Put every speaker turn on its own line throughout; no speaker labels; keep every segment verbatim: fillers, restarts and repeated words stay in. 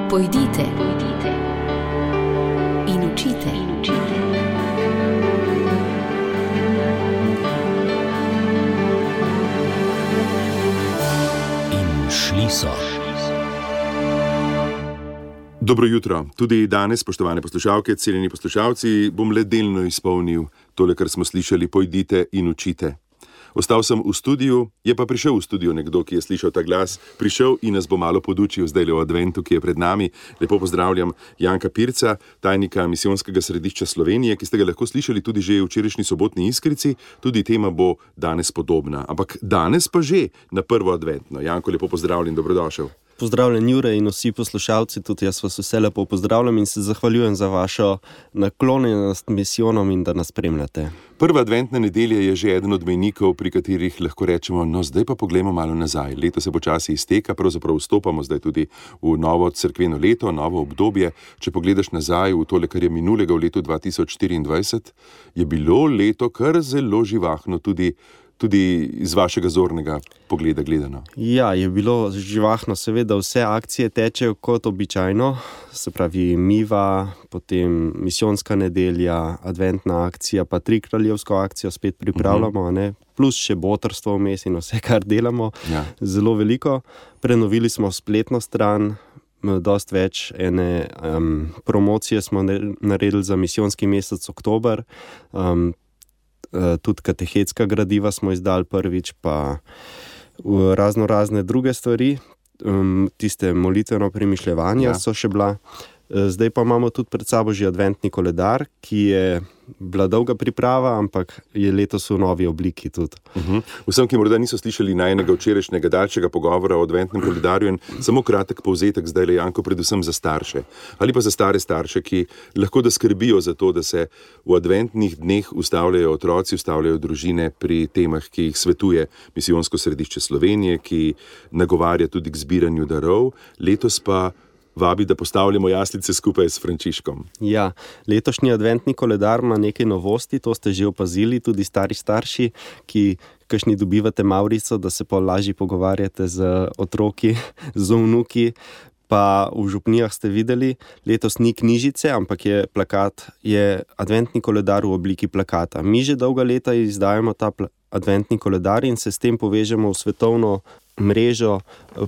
Pojdite, pojdite in učite, in učite.
In šli so.
Dobro jutro. Tudi danes, spoštovane poslušalke, cenjeni poslušalci, bom le delno izpolnil tole, kar smo slišali, pojdite in učite. Ostal sem v studiu, je pa prišel v studio nekdo, ki je slišal ta glas, prišel in nas bo malo podučil zdaj v adventu, ki je pred nami. Lepo pozdravljam Janka Pirca, tajnika Misijonskega središča Slovenije, ki ste ga lahko slišali tudi že v včerajšnji sobotni Iskrici. Tudi tema bo danes podobna, ampak danes pa že na prvo adventno. Janko, lepo pozdravljen, dobrodošel.
Pozdravljen Jure in vsi poslušalci, tudi jaz vas vse lepo pozdravljam in se zahvaljujem za vašo naklonjenost misijonom in da nas spremljate.
Prva adventna nedelja je že eden od mejnikov, pri katerih lahko rečemo, no zdaj pa poglejmo malo nazaj. Leto se počasi izteka, pravzaprav vstopamo zdaj tudi v novo cerkveno leto, novo obdobje. Če pogledaš nazaj v tole, kar je minulega v letu dva tisoč štiriindvajset, je bilo leto kar zelo živahno tudi Tudi iz vašega zornega pogleda gledano.
Ja, je bilo živahno, seveda vse akcije tečejo kot običajno, se pravi Miva, potem misijonska nedelja, adventna akcija, pa tri kraljevsko akcijo spet pripravljamo, uh-huh. ne? Plus še botrstvo vmes in vse, kar delamo, ja. Zelo veliko. Prenovili smo spletno stran, dost več ene um, promocije smo naredili za misijonski mesec oktober, um, tudi katehetska gradiva smo izdali prvič, pa razno razne druge stvari, tiste molitveno premišljevanja ja. So še bila. Zdaj pa imamo tudi pred sabo že adventni koledar, ki je bila dolga priprava, ampak je letos v novi obliki tudi.
Uh-huh. Vsem, ki morda niso slišali najnega včerajšnjega daljšega pogovora o adventnem koledarju, in samo kratek povzetek zdaj le, Janko, predvsem za starše ali pa za stare starše, ki lahko da skrbijo za to, da se v adventnih dneh ustavljajo otroci, ustavljajo družine pri temah, ki jih svetuje Misijonsko središče Slovenije, ki nagovarja tudi k zbiranju darov. Letos pa vabi, da postavljamo jaslice skupaj s Frančiškom.
Ja, letošnji adventni koledar ima nekaj novosti, to ste že opazili, tudi stari starši, ki kakšni dobivate Maurico, da se pa lažje pogovarjate z otroki, z vnuki, pa v župnijah ste videli, letos ni knjižice, ampak je plakat, je adventni koledar v obliki plakata. Mi že dolga leta izdajamo ta pl- adventni koledar in se s tem povežemo v svetovno mrežo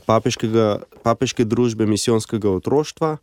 papeškega, papeške družbe misijonskega otroštva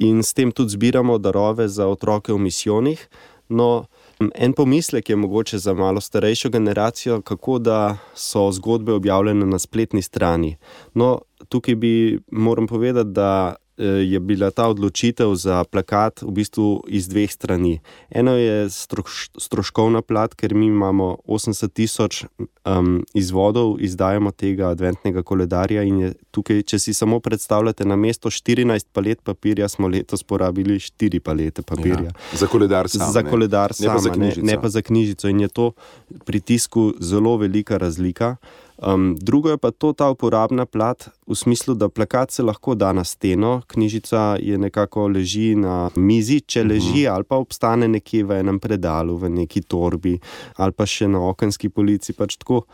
in s tem tudi zbiramo darove za otroke v misijonih. No, en pomislek je mogoče za malo starejšo generacijo, kako da so zgodbe objavljene na spletni strani. No, tukaj bi moram povedati, da je bila ta odločitev za plakat v bistvu iz dveh strani. Eno je stroš, stroškovna plat, ker mi imamo osemdeset tisoč um, izvodov, izdajamo tega adventnega koledarja in je tukaj, če si samo predstavljate, na mesto štirinajst palet papirja smo letos porabili štiri palete papirja.
Ja, za koledar sam,
za koledar
ne,
sama,
ne, pa
ne, ne pa za knjižico in je to pri tisku zelo velika razlika. Um, drugo je pa to ta uporabna plat v smislu, da plakat se lahko da na steno, knjižica je nekako leži na mizi, če leži uh-huh. ali pa obstane nekje v enem predalu, v neki torbi ali pa še na okenski polici, pač tako.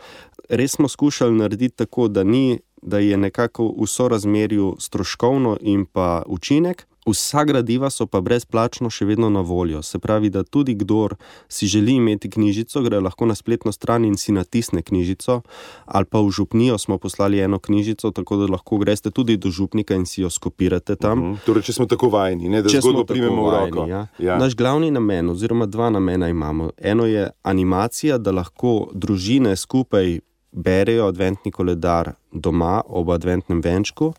Res smo skušali narediti tako, da ni, da je nekako v sorazmerju stroškovno in pa učinek. Vsa gradiva so pa brezplačno še vedno na voljo. Se pravi, da tudi kdor si želi imeti knjižico, gre lahko na spletno stran in si natisne knjižico, ali pa v župnijo smo poslali eno knjižico, tako da lahko greste tudi do župnika in si jo skopirate tam.
Uh-huh. Torej, če smo tako vajeni, ne, da zgodbo primemo v roko.
Ja.
Ja.
Naš glavni namen, oziroma dva namena imamo. Eno je animacija, da lahko družine skupaj berejo adventni koledar doma ob adventnem venčku.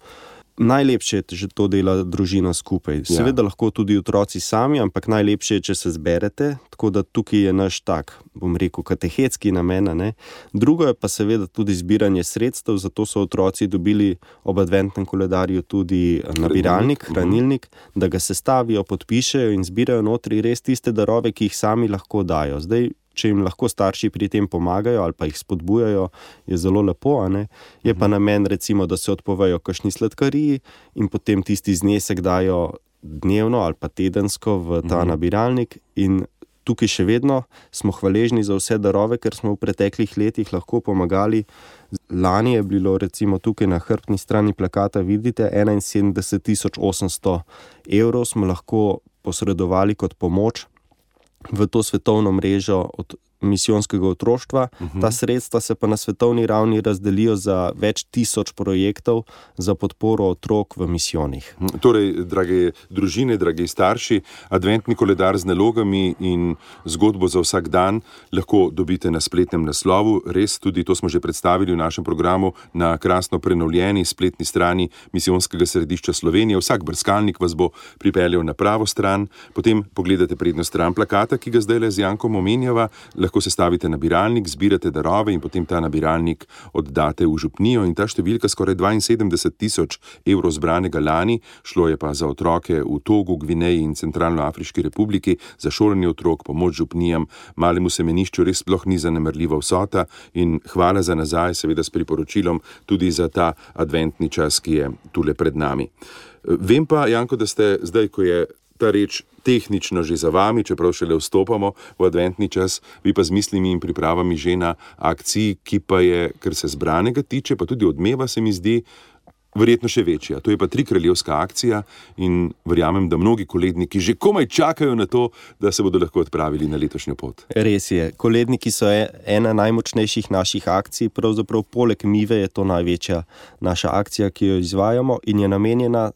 Najlepše je, že to dela družina skupaj. Seveda ja. Lahko tudi otroci sami, ampak najlepše je, če se zberete, tako da tukaj je naš tak, bom rekel, katehetski namen, ne. Drugo je pa seveda tudi zbiranje sredstev, zato so otroci dobili ob adventnem koledarju tudi nabiralnik, hranilnik, da ga sestavijo, podpišejo in zbirajo notri res tiste darove, ki jih sami lahko dajo. Zdaj, če jim lahko starši pri tem pomagajo ali pa jih spodbujajo, je zelo lepo, a ne? Je pa namen recimo, da se odpovejo kakšni sladkariji in potem tisti znesek dajo dnevno ali pa tedensko v ta nabiralnik in tukaj še vedno smo hvaležni za vse darove, ker smo v preteklih letih lahko pomagali. Lani je bilo recimo tukaj na hrbtni strani plakata, vidite, enainsedemdeset tisoč osemsto evrov smo lahko posredovali kot pomoč v to svetovno mrežo od misijonskega otroštva. Uh-huh. Ta sredstva se pa na svetovni ravni razdelijo za več tisoč projektov za podporo otrok v misijonih.
Torej, drage družine, dragi starši, adventni koledar z nalogami in zgodbo za vsak dan lahko dobite na spletnem naslovu. Res, tudi to smo že predstavili v našem programu na krasno prenovljeni spletni strani Misijonskega središča Slovenije. Vsak brskalnik vas bo pripeljal na pravo stran, potem pogledate prednjo stran plakata, ki ga zdajle z Jankom omenjava, lahko se stavite nabiralnik, zbirate darove in potem ta nabiralnik oddate v župnijo in ta številka skoraj dvainsedemdeset tisoč evrov zbranega lani, šlo je pa za otroke v Togu, Gvineji in Centralnoafriški republiki, za šolanje otrok, pomoč župnijam, malemu semenišču res sploh ni zanemarljiva vsota in hvala za nazaj, seveda s priporočilom tudi za ta adventni čas, ki je tule pred nami. Vem pa, Janko, da ste zdaj, ko je ta reč tehnično že za vami, čeprav šele vstopamo v adventni čas, vi pa z mislimi in pripravami že na akciji, ki pa je, kar se zbranega tiče, pa tudi odmeva se mi zdi, verjetno še večja. To je pa trikraljevska akcija in verjamem, da mnogi koledniki že komaj čakajo na to, da se bodo lahko odpravili na letošnjo pot.
Res je. Koledniki so ena najmočnejših naših akcij, pravzaprav poleg Mive je to največja naša akcija, ki jo izvajamo in je namenjena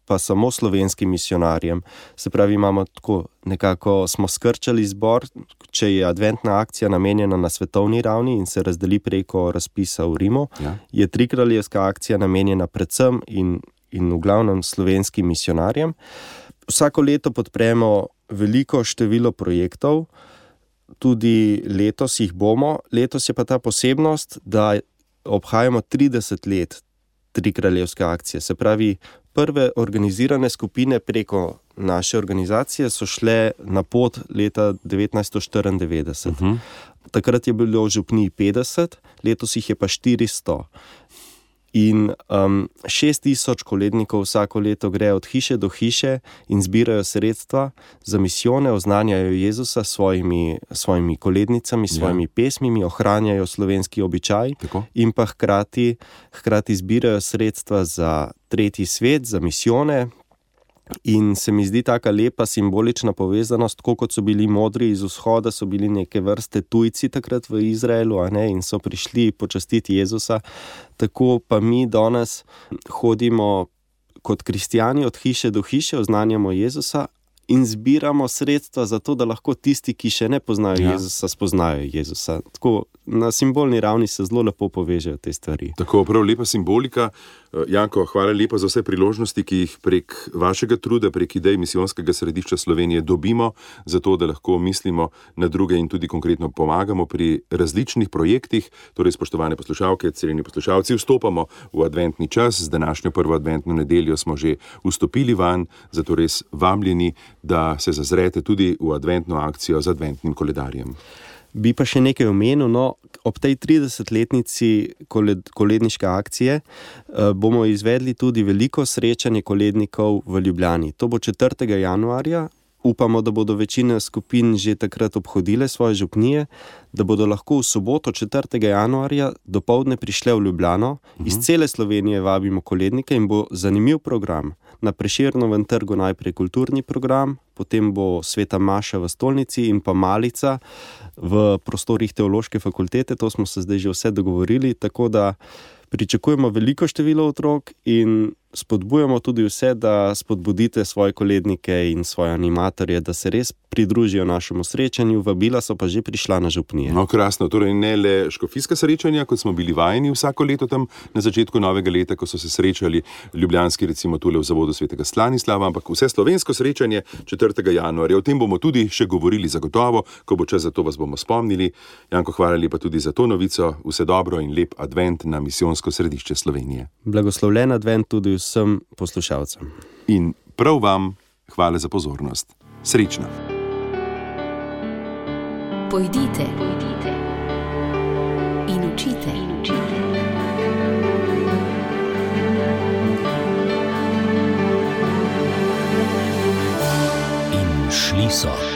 pa samo slovenskim misionarjem. Se pravi, imamo tako, nekako smo skrčali zbor, če je adventna akcija namenjena na svetovni ravni in se razdeli preko razpisa v Rimu, ja. Je trikraljevska akcija namenjena predvsem in, in v glavnem slovenskim misionarjem. Vsako leto podpremo veliko število projektov, tudi letos jih bomo. Letos je pa ta posebnost, da obhajamo trideset let trikraljevske akcije. Se pravi, prve organizirane skupine preko naše organizacije so šle na pot leta devetnajststo štiriindevetdeset. Uh-huh. Takrat je bilo v župniji petdeset, letos jih je pa štiristo. In um, šest tisoč kolednikov vsako leto gre od hiše do hiše in zbirajo sredstva za misijone, oznanjajo Jezusa s svojimi, svojimi kolednicami, svojimi ja. pesmimi, ohranjajo slovenski običaj. Tako. In pa hkrati, hkrati zbirajo sredstva za tretji svet, za misijone. In se mi zdi taka lepa simbolična povezanost, tako kot so bili modri iz vzhoda, so bili neke vrste tujci takrat v Izraelu, a ne, in so prišli počastiti Jezusa. Tako pa mi danes hodimo kot kristjani od hiše do hiše, oznanjamo Jezusa in zbiramo sredstva za to, da lahko tisti, ki še ne poznajo ja. Jezusa, spoznajo Jezusa. Tako na simbolni ravni se zelo lepo povežejo te stvari.
Tako, prav lepa simbolika. Janko, hvala lepa za vse priložnosti, ki jih prek vašega truda, prek idej Misijonskega središča Slovenije dobimo, zato da lahko mislimo na druge in tudi konkretno pomagamo pri različnih projektih. Torej, spoštovane poslušalke, cenjeni poslušalci, vstopamo v adventni čas. Z današnjo prvo adventno nedeljo smo že vstopili van, zato res vabljeni, da se zazrete tudi v adventno akcijo z adventnim koledarjem.
Bi pa še nekaj omenil, no, ob tej tridesetletnici koled, koledniške akcije eh, bomo izvedli tudi veliko srečanje kolednikov v Ljubljani. To bo četrtega januarja. Upamo, da bodo večina skupin že takrat obhodile svoje župnije, da bodo lahko v soboto četrtega januarja dopoldne prišle v Ljubljano. Uh-huh. Iz cele Slovenije vabimo kolednike in bo zanimiv program. Na Prešernovem trgu najprej kulturni program, potem bo sveta maša v stolnici in pa malica v prostorih teološke fakultete. To smo se zdaj že vse dogovorili, tako da pričakujemo veliko število otrok in spodbujamo tudi vse, da spodbudite svoje kolednike in svoje animatorje, da se res pridružijo našemu srečanju. Vabila so pa že prišla na župnije.
No, krasno. Torej ne le škofijska srečanja, kot smo bili vajeni vsako leto tam na začetku novega leta, ko so se srečali ljubljanski, recimo tule v zavodu svetega Stanislava, ampak vse slovensko srečanje četrtega januarja. O tem bomo tudi še govorili zagotovo, ko bo čas za to, vas bomo spomnili. Janko, hvala lepa tudi za to novico. Vse dobro in lep advent na Misijonsko središče Slovenije.
Blagoslovljen advent tudi vsem poslušalcem.
In prav vam hvala za pozornost. Srečno.
Pojdite, pojdite in učite, in učite.
In šli so.